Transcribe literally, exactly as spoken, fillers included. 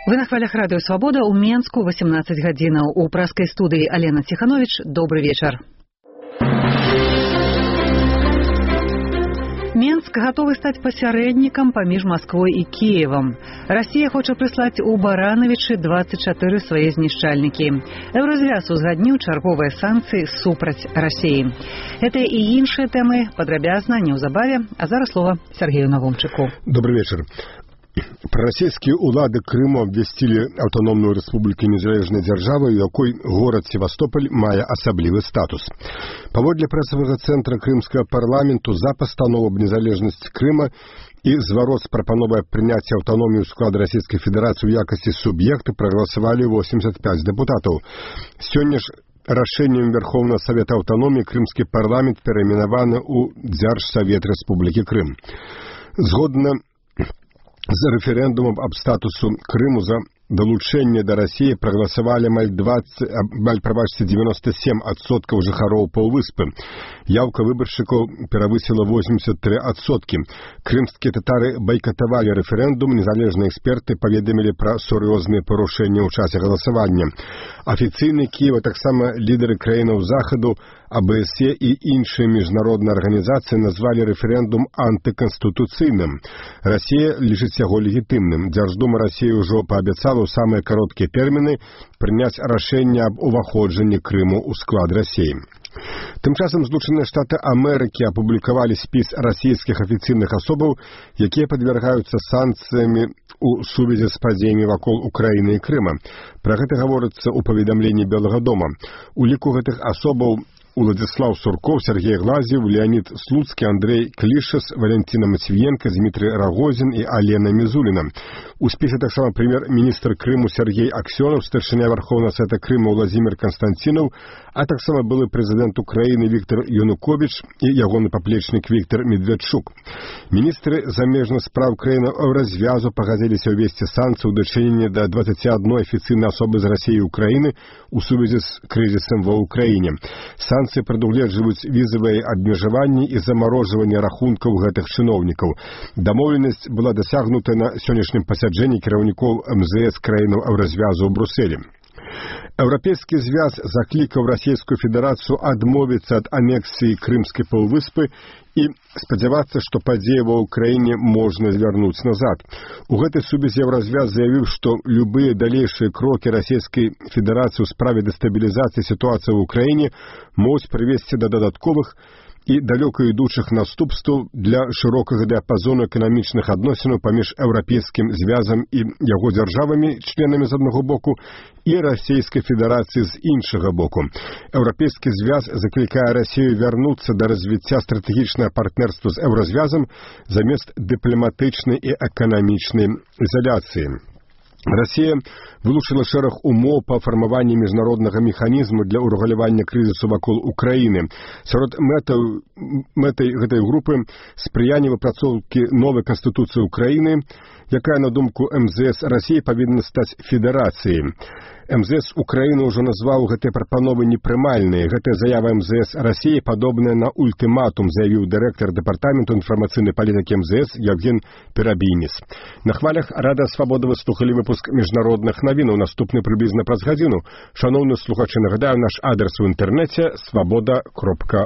Вы на хвалях радыё «Свабода» ў Менску восемнадцать гадзінаў. У праскай студыі Алена Ціхановіч. Добры вечар. Менск гатовы стаць пасярэднікам паміж Масквой і Кіевам. Расія хоча прыслаць у Баранавічы двадцать чатыры свае знішчальнікі. Еўразвяз узгадніў чарговыя санкцыі супраць Расіі. Гэтыя і іншыя тэмы падрабязна неўзабаве, а зараз слова Сергею Навумчыку. Добрый вечер. Прарасійскія ўлады Крыму абвясцілі аўтаномную рэспубліку незалежнай дзяржавы, у якой горад Севастополь мае асаблівы статус. Паводле прэсавага цэнтра крымскага парламенту за пастанову аб незалежнасці Крыма і зварот з прапановай прыняцця аўтаноміі ў склад Расійскай Федэрацыі ў якасці суб'екта прагаласавалі восемьдесят пять дэпутатаў. Сёння ж рашэннем Верховнага Савета Аўтаноміі крымскі парламент перайменаваны ў Дзяржсавет Рэспублікі Крым. Згодна за рэферэндумам аб статусу Крыму за далучэнне да Расіі прагаласавалі амаль двадцать, амаль прабачце девяносто семь адсоткаў жыхароў паўвыспы. Яўка выбаршчыкаў перавысіла восемьдесят три адсоткі. Крымскія татары байкатавалі рэферэндум, незалежныя эксперты паведамілі пра сур'ёзныя парушэнні ў часе галасавання. Афіцыйны Кіева, таксама лідары краінаў захаду, А Б С Е і іншыя міжнародныя арганізацыі назвалі рэферэндум антыканстытуцыйным. Расія лічыць яго легітымным. Дзярждума Расіі ўжо паабяцала ў самыя кароткія тэрміны прыняць рашэнне аб уваходжанні Крыму ў склад Расіі. Тым часам Злучаныя Штаты Амерыкі апублікавалі спіс расійскіх афіцыйных асобаў, якія падвяргаюцца санкцыямі у сувязі з падзеямі вакол Украіны і Крыма. Пра гэта гаворыцца ў паведамленні Белага дома. У ліку гэтых асобаў Уладзіслаў Сурков, Сергей Глазьев, Леонид Слуцкий, Андрей Клишес, Валентина Матвиенко, Дмитрий Рогозин и Алена Мизулина. У спісе таксама прэм'ер-міністр Крыму Сергей Аксёнов, старшыня Верховнага Савета Крыма Владимир Константинов, а таксама былы прэзідэнт Украіны Віктор Янукович і ягоны паплечнік Віктор Медведчук. Міністры замежных спраў краіны Еўразвязу пагадзіліся ўвесці санкцыі ў дачыненні да двадцати одной афіцыйнай асобы з Расіі і Украіны у сувязі з крызісам ва Ўкраіне. Санкцыі прадугледжваюць візавыя абмежаванні і замарожванне рахункаў гэтых чыноўнікаў. Дамоўленасць была дасягнута на сённяшнім пасяджэнні кіраўнікоў эм зэ эс краінаў Еўразвязу ў Брусэлі. Еўрапейскі звяз заклікаў Расійскую Федэрацыю адмовіцца ад анексіі Крымскай паўвыспы і спадзявацца, што падзеі ва ўкраіне можна звярнуць назад. У гэтай сувязі Еўразвяз заявіў, што любыя далейшыя крокі Расійскай Федэрацыі ў справе дэстабілізацыі сітуацыі ў Украіне могуць прывесці да дадатковых і далёка ідучых наступстваў для шырокага дыяпазону эканамічных адносінаў паміж Еўрапейскім звязам і яго дзяржавамі, членамі з аднаго боку, і Расійскай Федэрацыі з іншага боку. Еўрапейскі звяз заклікае Расію вярнуцца да развіцця стратэгічнага партнерства з Еўразвязам замест дыпламатычнай і эканамічнай ізаляцыі. Расія вылучыла шэраг умоў па фармаванні міжнароднага механізму для ўрэгулявання крызісу вакол Украіны. Сярод мэтаў, мэтай гэтай групы спрыянне выпрацоўкі новай канстытуцыі Украіны, якая, на думку эм зэ эс Расіі, павінна стаць федэрацыяй. эм зэ эс Украіны ўжо назваў гэтыя прапановы непрымальныя. Гэтая заява эм зэ эс Расіі падобная на ультыматум, заявіў дырэктар дэпартаменту інфармацыйнай палітыкі эм зэ эс Евген Перабійніс. На хвалях Рада Свабоды вы слухалі выпуск міжнародных навінаў, наступны прыблізна праз гадзіну. Шаноўныя слухачы, нагадаю, наш адрес у інтэрнэце свабода кропка